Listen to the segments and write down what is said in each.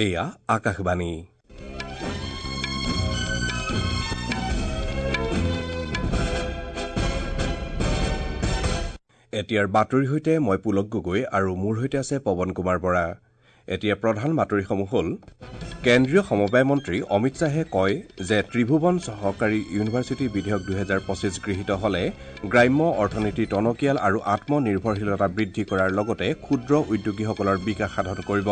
এয়া আকাশবাণী। এতিয়াৰ বাতৰিৰ সৈতে মই পুলক গগৈ আৰু মোৰ সৈতে আছে পৱন কুমাৰ বৰা। এতিয়া প্ৰধান বাতৰিসমূহ হ'ল, কেন্দ্ৰীয় সমবায় মন্ত্ৰী অমিত শ্বাহে কয় যে ত্ৰিভুৱন সহকাৰী ইউনিভাৰ্চিটি বিধেয়ক 2025 গৃহীত হ'লে গ্ৰাম্য অৰ্থনীতি টনকিয়াল আৰু আত্মনিৰ্ভৰশীলতা বৃদ্ধি কৰাৰ লগতে ক্ষুদ্ৰ উদ্যোগীসকলৰ বিকাশ সাধন কৰিব।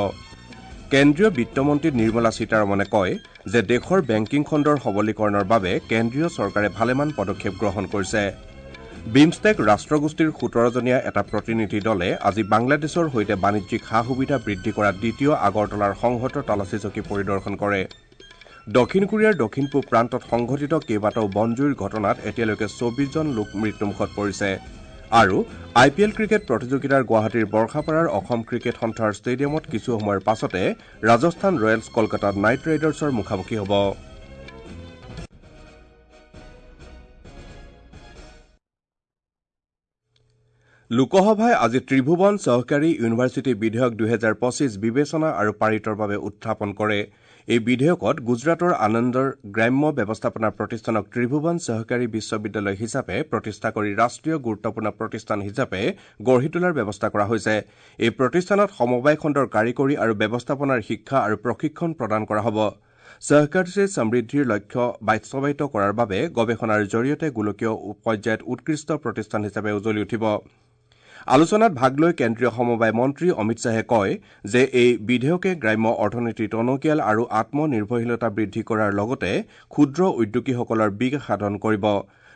কেন্দ্ৰীয় বিত্তমন্ত্ৰী নিৰ্মলা সীতাৰমণে কয় যে দেশৰ বেংকিং খণ্ডৰ সবলীকৰণৰ বাবে কেন্দ্ৰীয় চৰকাৰে ভালেমান পদক্ষেপ গ্ৰহণ কৰিছে। বিমষ্টেক ৰাষ্ট্ৰগোষ্ঠীৰ 17জনীয়া এটা প্ৰতিনিধি দলে আজি বাংলাদেশৰ সৈতে বাণিজ্যিক সা সুবিধা বৃদ্ধি কৰা দ্বিতীয় আগৰতলাৰ সংহত তালাচী চকী পৰিদৰ্শন কৰে। দক্ষিণ কোৰিয়াৰ দক্ষিণ পূব প্ৰান্তত সংঘটিত কেইবাটাও বনজুইৰ ঘটনাত এতিয়ালৈকে 24 জন লোক মৃত্যুমুখত পৰিছে। আৰু আই পি এল ক্ৰিকেট প্ৰতিযোগিতাৰ গুৱাহাটীৰ বৰ্ষাপাৰাৰ অসম ক্ৰিকেট সন্থাৰ ষ্টেডিয়ামত কিছু সময়ৰ পাছতে ৰাজস্থান ৰয়েলছ কলকাতা নাইট ৰাইডাৰ্ছৰ মুখামুখি হ'ব। লোকসভাই আজি ত্ৰিভুৱন সহকাৰী ইউনিভাৰ্চিটি বিধেয়ক 2025 বিবেচনা আৰু পাৰিতৰ বাবে উত্থাপন কৰে। এই বিধেয়কত গুজৰাটৰ আনন্দৰ গ্ৰাম্য ব্যৱস্থাপনা প্ৰতিষ্ঠানক ত্ৰিভুৱন সহকাৰী বিশ্ববিদ্যালয় হিচাপে প্ৰতিষ্ঠা কৰি ৰাষ্ট্ৰীয় গুৰুত্বপূৰ্ণ প্ৰতিষ্ঠান হিচাপে গঢ়ি তোলাৰ ব্যৱস্থা কৰা হৈছে। এই প্ৰতিষ্ঠানত সমবায় খণ্ডৰ কাৰিকৰী আৰু ব্যৱস্থাপনাৰ শিক্ষা আৰু প্ৰশিক্ষণ প্ৰদান কৰা হ'ব। সহকাৰ চে সমৃদ্ধিৰ লক্ষ্য বাস্তৱায়িত কৰাৰ বাবে গৱেষণাৰ জৰিয়তে গোলকীয় পৰ্যায়ত উৎকৃষ্ট প্ৰতিষ্ঠান হিচাপে উজলি উঠিব। আলোচনাত ভাগ লৈ কেন্দ্ৰীয় সমবায় মন্ত্ৰী অমিত শ্বাহে কয় যে এই বিধেয়কে গ্ৰাম্য অৰ্থনীতি টনকিয়াল আৰু আত্মনিৰ্ভৰশীলতা বৃদ্ধি কৰাৰ লগতে ক্ষুদ্ৰ উদ্যোগীসকলৰ বিকাশ সাধন কৰিব।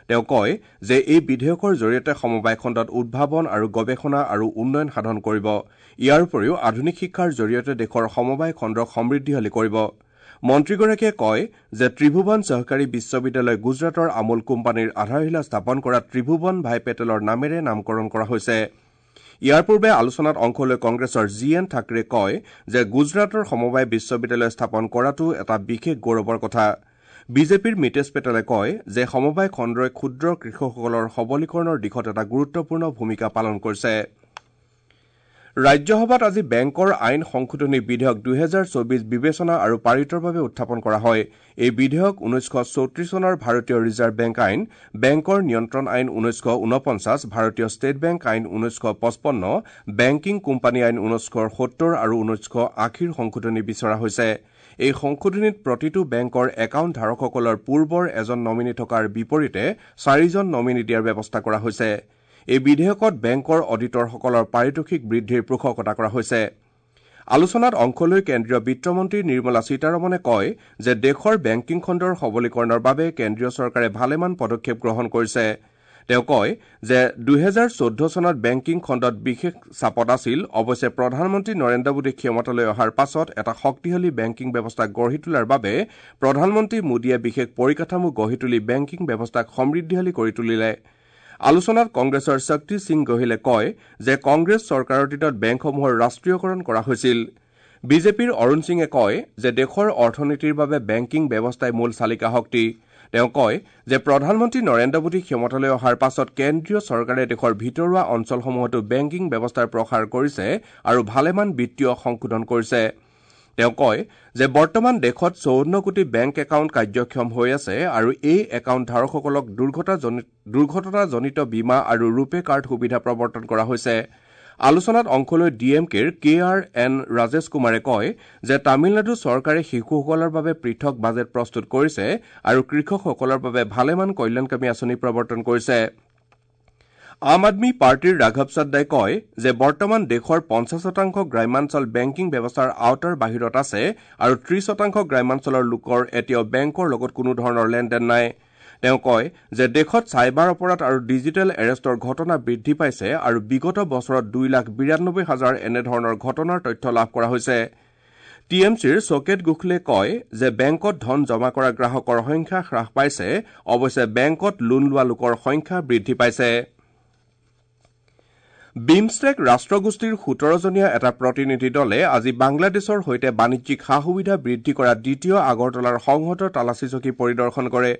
তেওঁ কয় যে এই বিধেয়কৰ জৰিয়তে সমবায় খণ্ডত উদ্ভাৱন আৰু গৱেষণা আৰু উন্নয়ন সাধন কৰিব। ইয়াৰ উপৰিও আধুনিক শিক্ষাৰ জৰিয়তে দেশৰ সমবায় খণ্ডক সমৃদ্ধিশালী কৰিব। মন্ত্ৰীগৰাকীয়ে কয় যে ত্ৰিভুৱন সহকাৰী বিশ্ববিদ্যালয় গুজৰাটৰ আমুল কোম্পানীৰ আধাৰশিলা স্থাপন কৰা ত্ৰিভুৱন ভাই পেটেলৰ নামেৰে নামকৰণ কৰা হৈছে। ইয়াৰ পূৰ্বে আলোচনাত অংশ লৈ কংগ্ৰেছৰ জি এন ঠাকৰে কয় যে গুজৰাটৰ সমবায় বিশ্ববিদ্যালয় স্থাপন কৰাটো এটা বিশেষ গৌৰৱৰ কথা। বিজেপিৰ মিতেশ পেটেলে কয় যে সমবায় খণ্ডই ক্ষুদ্ৰ কৃষকসকলৰ সবলীকৰণৰ দিশত এটা গুৰুত্বপূৰ্ণ ভূমিকা পালন কৰিছে। ৰাজ্যসভাত আজি বেংকৰ আইন সংশোধনী বিধেয়ক 2024 বিবেচনা আৰু পাৰিতৰ বাবে উত্থাপন কৰা হয়। এই বিধেয়ক 1934 চনৰ ভাৰতীয় ৰিজাৰ্ভ বেংক আইন, বেংকৰ নিয়ন্ত্ৰণ আইন 1949, ভাৰতীয় ষ্টেট বেংক আইন 1955, বেংকিং কোম্পানী আইন 1970 আৰু 1980ৰ সংশোধনী বিচৰা হৈছে। এই সংশোধনীত প্ৰতিটো বেংকৰ একাউণ্ট ধাৰকসকলৰ পূৰ্বৰ এজন নমিনী থকাৰ বিপৰীতে 4জন নমিনী দিয়াৰ ব্যৱস্থা কৰা হৈছে। এই বিধেয়কত বেংকৰ অডিটৰসকলৰ পাৰিতোষিক বৃদ্ধিৰ পোষকতা কৰা হৈছে। আলোচনাত অংশ লৈ কেন্দ্ৰীয় বিত্তমন্ত্ৰী নিৰ্মলা সীতাৰমণে কয় যে দেশৰ বেংকিং খণ্ডৰ সবলীকৰণৰ বাবে কেন্দ্ৰীয় চৰকাৰে ভালেমান পদক্ষেপ গ্ৰহণ কৰিছে। তেওঁ কয় যে 2014 চনত বেংকিং খণ্ডত বিশেষ চাপত আছিল। অৱশ্যে প্ৰধানমন্ত্ৰী নৰেন্দ্ৰ মোদী ক্ষমতালৈ অহাৰ পাছত এটা শক্তিশালী বেংকিং ব্যৱস্থা গঢ়ি তোলাৰ বাবে প্ৰধানমন্ত্ৰী মোদীয়ে বিশেষ পৰিকাঠামো গঢ়ি তুলি বেংকিং ব্যৱস্থাক সমৃদ্ধিশালী কৰি তুলিলে। আলোচনাত কংগ্ৰেছৰ শক্তি সিং গোহিলে কয় যে কংগ্ৰেছ চৰকাৰৰ দিনত বেংকসমূহৰ ৰাষ্ট্ৰীয়কৰণ কৰা হৈছিল। বিজেপিৰ অৰুণ সিঙে কয় যে দেশৰ অৰ্থনীতিৰ বাবে বেংকিং ব্যৱস্থাই মূল চালিকা শক্তি। তেওঁ কয় যে প্ৰধানমন্ত্ৰী নৰেন্দ্ৰ মোদী ক্ষমতালৈ অহাৰ পাছত কেন্দ্ৰীয় চৰকাৰে দেশৰ ভিতৰুৱা অঞ্চলসমূহতো বেংকিং ব্যৱস্থাৰ প্ৰসাৰ কৰিছে আৰু ভালেমান বিত্তীয় সংশোধন কৰিছে। তেওঁ কয় যে বৰ্তমান দেশত 54 কোটি বেংক একাউণ্ট কাৰ্যক্ষম হৈ আছে আৰু এই একাউণ্ট ধাৰকসকলক দুৰ্ঘটনাজনিত বীমা আৰু ৰূপে কাৰ্ড সুবিধা প্ৰৱৰ্তন কৰা হৈছে। আলোচনাত অংশ লৈ ডি এম কেৰ কে আৰ এন ৰাজেশ কুমাৰে কয় যে তামিলনাডু চৰকাৰে শিশুসকলৰ বাবে পৃথক বাজেট প্ৰস্তুত কৰিছে আৰু কৃষকসকলৰ বাবে ভালেমান কল্যাণকামী আঁচনি প্ৰৱৰ্তন কৰিছে। আম আদমী পাৰ্টীৰ ৰাঘৱ চাড্ডাই কয় যে বৰ্তমান দেশৰ 50% গ্ৰাম্যাঞ্চল বেংকিং ব্যৱস্থাৰ আওতাৰ বাহিৰত আছে আৰু 30% গ্ৰাম্যাঞ্চলৰ লোকৰ এতিয়াও বেংকৰ লগত কোনো ধৰণৰ লেনদেন নাই। তেওঁ কয় যে দেশত চাইবাৰ অপৰাধ আৰু ডিজিটেল এৰেষ্টৰ ঘটনা বৃদ্ধি পাইছে আৰু বিগত বছৰত 2,92,000 এনেধৰণৰ ঘটনাৰ তথ্য লাভ কৰা হৈছে। টি এম চিৰ চকেট গোখলে কয় যে বেংকত ধন জমা কৰা গ্ৰাহকৰ সংখ্যা হ্ৰাস পাইছে, অৱশ্যে বেংকত লোন লোৱা লোকৰ সংখ্যা বৃদ্ধি পাইছে। বিমষ্টেক ৰাষ্ট্ৰগোষ্ঠীৰ 17জনীয়া এটা প্ৰতিনিধি দলে আজি বাংলাদেশৰ সৈতে বাণিজ্যিক সা সুবিধা বৃদ্ধি কৰা দ্বিতীয় আগৰতলাৰ সংহত তালাচী চকী পৰিদৰ্শন কৰে।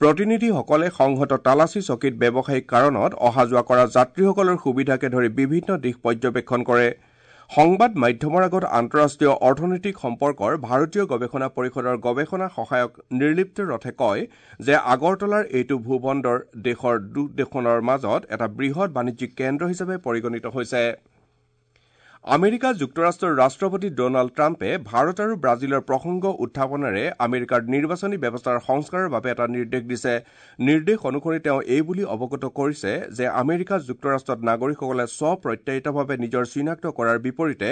প্ৰতিনিধিসকলে সংহত তালাচী চকীত ব্যৱসায়িক কাৰণত অহা যোৱা কৰা যাত্ৰীসকলৰ সুবিধাকে ধৰি বিভিন্ন দিশ পৰ্যবেক্ষণ কৰে। সংবাদ মাধ্যমৰ আগত আন্তঃৰাষ্ট্ৰীয় অৰ্থনৈতিক সম্পৰ্কৰ ভাৰতীয় গৱেষণা পৰিষদৰ গৱেষণা সহায়ক নিৰ্লিপ্ত ৰথে কয় যে আগৰতলাৰ এইটো ভূবন্দৰ দেশৰ দুদেশখনৰ মাজত এটা বৃহৎ বাণিজ্যিক কেন্দ্ৰ হিচাপে পৰিগণিত হৈছে। আমেৰিকা যুক্তৰাষ্ট্ৰৰ ৰাষ্ট্ৰপতি ডনাল্ড ট্ৰাম্পে ভাৰত আৰু ব্ৰাজিলৰ প্ৰসংগ উত্থাপনেৰে আমেৰিকাৰ নিৰ্বাচনী ব্যৱস্থাৰ সংস্কাৰৰ বাবে এটা নিৰ্দেশ দিছে। নিৰ্দেশ অনুসৰি তেওঁ এই বুলি অৱগত কৰিছে যে আমেৰিকা যুক্তৰাষ্ট্ৰত নাগৰিকসকলে স্বপ্ৰত্যায়িতভাৱে নিজৰ চিনাক্ত কৰাৰ বিপৰীতে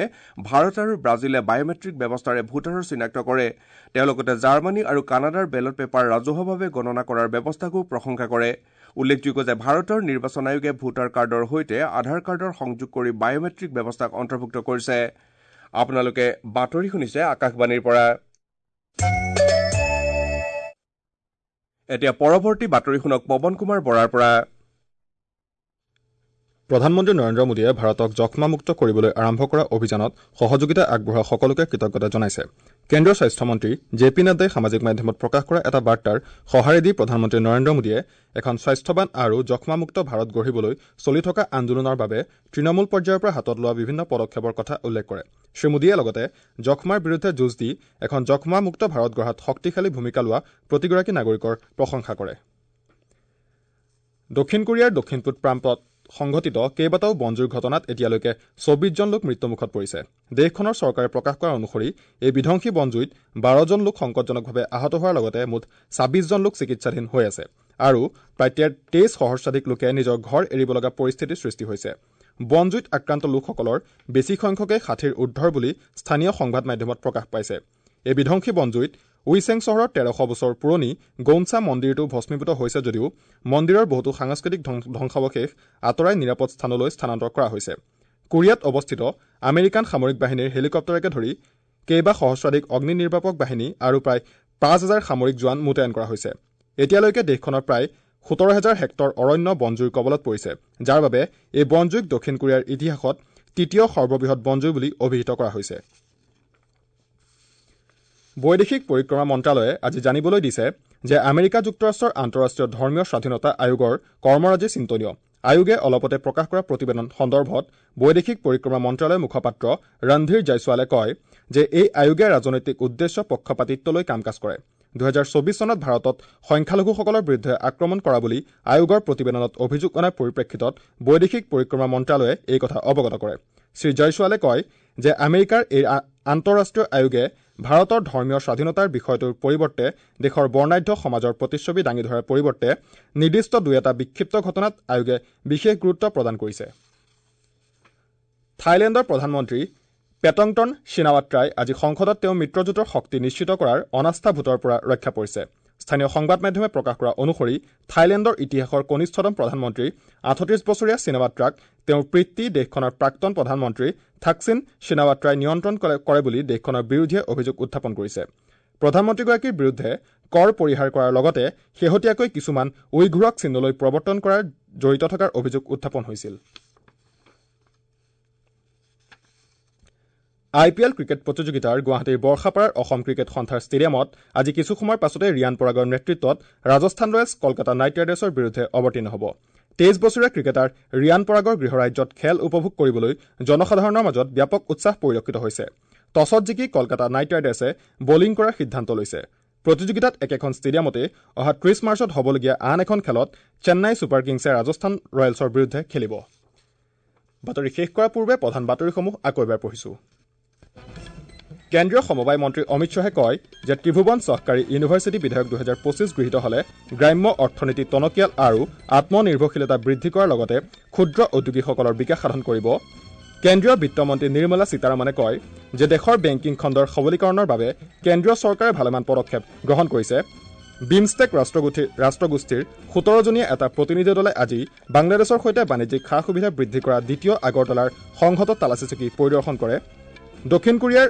ভাৰত আৰু ব্ৰাজিলে বায়'মেট্ৰিক ব্যৱস্থাৰে ভোটাৰৰ চিনাক্ত কৰে। তেওঁ লগতে জাৰ্মানী আৰু কানাডাৰ বেলট পেপাৰ ৰাজহুৱাভাৱে গণনা কৰাৰ ব্যৱস্থাকো প্ৰশংসা কৰে। উল্লেখযোগ্য যে ভাৰতৰ নিৰ্বাচন আয়োগে ভোটাৰ কাৰ্ডৰ সৈতে আধাৰ কাৰ্ডৰ সংযোগ কৰি বায়'মেট্ৰিক ব্যৱস্থাক অন্তৰ্ভুক্ত কৰিছে। আপোনালোকে বাতৰি শুনিছে আকাশবাণীৰ পৰা। এতিয়া পৰৱৰ্তী বাতৰি শুনক পৱন কুমাৰ বৰাৰ পৰা। প্ৰধানমন্ত্ৰী নৰেন্দ্ৰ মোদীয়ে ভাৰতক যক্ষ্মামুক্ত কৰিবলৈ আৰম্ভ কৰা অভিযানত সহযোগিতা আগবঢ়োৱা সকলোকে কৃতজ্ঞতা জনাইছে। কেন্দ্ৰীয় স্বাস্থ্যমন্ত্ৰী জে পি নাড্ডাই সামাজিক মাধ্যমত প্ৰকাশ কৰা এটা বাৰ্তাৰ সঁহাৰি দি প্ৰধানমন্ত্ৰী নৰেন্দ্ৰ মোদীয়ে এখন স্বাস্থ্যৱান আৰু যক্ষ্মামুক্ত ভাৰত গঢ়িবলৈ চলি থকা আন্দোলনৰ বাবে তৃণমূল পৰ্যায়ৰ পৰা হাতত লোৱা বিভিন্ন পদক্ষেপৰ কথা উল্লেখ কৰে। শ্ৰীমোদীয়ে লগতে যক্ষ্মাৰ বিৰুদ্ধে যুঁজ দি এখন যক্ষ্মামুক্ত ভাৰত গঢ়াত শক্তিশালী ভূমিকা লোৱা প্ৰতিগৰাকী নাগৰিকৰ প্ৰশংসা কৰে। দক্ষিণ কোৰিয়াৰ দক্ষিণ পূব প্ৰান্তত সংঘটিত কেইবাটাও বনজুইৰ ঘটনাত এতিয়ালৈকে 24 জন লোক মৃত্যুমুখত পৰিছে। দেশখনৰ চৰকাৰে প্ৰকাশ কৰা অনুসৰি এই বিধ্বংসী বনজুইত 12 জন লোক সংকটজনকভাৱে আহত হোৱাৰ লগতে মুঠ 26 জন লোক চিকিৎসাধীন হৈ আছে আৰু প্ৰায় 23 সহস্ৰাধিক লোকে নিজৰ ঘৰ এৰিব লগা পৰিস্থিতিৰ সৃষ্টি হৈছে। বনজুইত আক্ৰান্ত লোকসকলৰ বেছি সংখ্যকে 60ৰ ঊৰ্ধৰ বুলি স্থানীয় সংবাদ মাধ্যমত প্ৰকাশ পাইছে। এই বিধ্বংসী বনজুইত উইচেং চহৰৰ 1300 বছৰ পুৰণি গৌনচা মন্দিৰটো ভস্মীভূত হৈছে যদিও মন্দিৰৰ বহুতো সাংস্কৃতিক ধ্বংসাৱশেষ আঁতৰাই নিৰাপদ স্থানলৈ স্থানান্তৰ কৰা হৈছে। কোৰিয়াত অৱস্থিত আমেৰিকান সামৰিক বাহিনীৰ হেলিকপ্টাৰকে ধৰি কেইবা সহস্ৰাধিক অগ্নি নিৰ্বাপক বাহিনী আৰু প্ৰায় 5000 সামৰিক জোৱান মোতায়েন কৰা হৈছে। এতিয়ালৈকে দেশখনৰ প্ৰায় 17,000 হেক্টৰ অৰণ্য বনজুইৰ কবলত পৰিছে, যাৰ বাবে এই বনজুইক দক্ষিণ কোৰিয়াৰ ইতিহাসত তৃতীয় সৰ্ববৃহৎ বনজুই বুলি অভিহিত কৰা হৈছে। বৈদেশিক পৰিক্ৰমা মন্ত্ৰালয়ে আজি জানিবলৈ দিছে যে আমেৰিকা যুক্তৰাষ্ট্ৰৰ আন্তঃৰাষ্ট্ৰীয় ধৰ্মীয় স্বাধীনতা আয়োগৰ কৰ্মৰাজি চিন্তনীয়। আয়োগে অলপতে প্ৰকাশ কৰা প্ৰতিবেদন সন্দৰ্ভত বৈদেশিক পৰিক্ৰমা মন্ত্ৰালয়ৰ মুখপাত্ৰ ৰণধীৰ জয়ছোৱালে কয় যে এই আয়োগে ৰাজনৈতিক উদ্দেশ্য পক্ষপাতিত্ব লৈ কাম কাজ কৰে। 2024 চনত ভাৰতত সংখ্যালঘুসকলৰ বিৰুদ্ধে আক্ৰমণ কৰা বুলি আয়োগৰ প্ৰতিবেদনত অভিযোগ অনাৰ পৰিপ্ৰেক্ষিতত বৈদেশিক পৰিক্ৰমা মন্ত্ৰালয়ে এই কথা অৱগত কৰে। শ্ৰী জয়ছোৱালে কয় যে আমেৰিকাৰ এই আন্তঃৰাষ্ট্ৰীয় আয়োগে ভাৰতৰ ধৰ্মীয় স্বাধীনতাৰ বিষয়টোৰ পৰিৱৰ্তে দেশৰ বৰ্ণাঢ্য সমাজৰ প্ৰতিচ্ছবি দাঙি ধৰাৰ পৰিৱৰ্তে নিৰ্দিষ্ট দুই এটা বিক্ষিপ্ত ঘটনাত আয়োগে বিশেষ গুৰুত্ব প্ৰদান কৰিছে। থাইলেণ্ডৰ প্ৰধানমন্ত্ৰী পেটংটন চিনাৱাত্ৰাই আজি সংসদত তেওঁ মিত্ৰজোঁটৰ শক্তি নিশ্চিত কৰাৰ অনাস্থা ভোটৰ পৰা ৰক্ষা পৰিছে। স্থানীয় সংবাদ মাধ্যমে প্ৰকাশ কৰা অনুসৰি থাইলেণ্ডৰ ইতিহাসৰ কনিষ্ঠতম প্ৰধানমন্ত্ৰী 38 বছৰীয়া চিনাৱাত্ৰাক তেওঁৰ পিতৃ দেশখনৰ প্ৰাক্তন প্ৰধানমন্ত্ৰী থাকচিন চিনাৱাত্ৰাই নিয়ন্ত্ৰণ কৰে বুলি দেশখনৰ বিৰোধীয়ে অভিযোগ উত্থাপন কৰিছে। প্ৰধানমন্ত্ৰীগৰাকীৰ বিৰুদ্ধে কৰ পৰিহাৰ কৰাৰ লগতে শেহতীয়াকৈ কিছুমান উইঘুৰক চীনলৈ প্ৰৱৰ্তন কৰাৰ জড়িত থকাৰ অভিযোগ উত্থাপন হৈছিল। আই পি এল ক্ৰিকেট প্ৰতিযোগিতাৰ গুৱাহাটীৰ বৰ্ষাপাৰাৰ অসম ক্ৰিকেট সন্থাৰ ষ্টেডিয়ামত আজি কিছু সময়ৰ পাছতে ৰিয়ান পৰাগৰ নেতৃত্বত ৰাজস্থান ৰয়েলছ কলকাতা নাইট ৰাইডাৰ্ছৰ বিৰুদ্ধে অৱতীৰ্ণ হ'ব। 23 বছৰীয়া ক্ৰিকেটাৰ ৰিয়ান পৰাগৰ গৃহৰাজ্যত খেল উপভোগ কৰিবলৈ জনসাধাৰণৰ মাজত ব্যাপক উৎসাহ পৰিলক্ষিত হৈছে। টছত জিকি কলকাতা নাইট ৰাইডাৰ্ছে বলিং কৰাৰ সিদ্ধান্ত লৈছে। প্ৰতিযোগিতাত একেখন ষ্টেডিয়ামতে অহা 30 মাৰ্চত হ'বলগীয়া আন এখন খেলত চেন্নাই ছুপাৰ কিংছে ৰাজস্থান ৰয়েলছৰ বিৰুদ্ধে খেলিব। বাতৰি শেষ কৰাৰ পূৰ্বে প্ৰধান বাতৰিসমূহ আকৌ এবাৰ পঢ়িছোঁ। কেন্দ্ৰীয় সমবায় মন্ত্ৰী অমিত শ্বাহে কয় যে ত্ৰিভুৱন চহকাৰী ইউনিভাৰ্চিটি বিধেয়ক 2025 গৃহীত হ'লে গ্ৰাম্য অৰ্থনীতি টনকিয়াল আৰু আত্মনিৰ্ভৰশীলতা বৃদ্ধি কৰাৰ লগতে ক্ষুদ্ৰ উদ্যোগীসকলৰ বিকাশ সাধন কৰিব। কেন্দ্ৰীয় বিত্তমন্ত্ৰী নিৰ্মলা সীতাৰমণে কয় যে দেশৰ বেংকিং খণ্ডৰ সবলীকৰণৰ বাবে কেন্দ্ৰীয় চৰকাৰে ভালেমান পদক্ষেপ গ্ৰহণ কৰিছে। বিমষ্টেক ৰাষ্ট্ৰগোষ্ঠীৰ 17জনীয়া এটা প্ৰতিনিধি দলে আজি বাংলাদেশৰ সৈতে বাণিজ্যিক সা সুবিধা বৃদ্ধি কৰা দ্বিতীয় আগৰতলাৰ সংহত তালাচী চকী পৰিদৰ্শন কৰে। দক্ষিণ কোৰিয়াৰ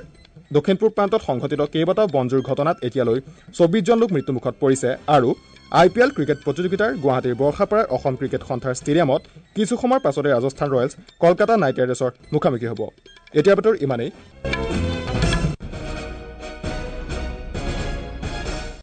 দক্ষিণ পূব প্ৰান্তত সংঘটিত কেইবাটাও বনজুইৰ ঘটনাত এতিয়ালৈ 24 জন লোক মৃত্যুমুখত পৰিছে আৰু আই পি এল ক্ৰিকেট প্ৰতিযোগিতাৰ গুৱাহাটীৰ বৰ্ষাপাৰাৰ অসম ক্ৰিকেট সন্থাৰ ষ্টেডিয়ামত কিছু সময়ৰ পাছতে ৰাজস্থান ৰয়েলছ কলকাতা নাইট ৰাইডাৰ্ছৰ মুখামুখি হ'ব। এতিয়া বাতৰি ইমানেই।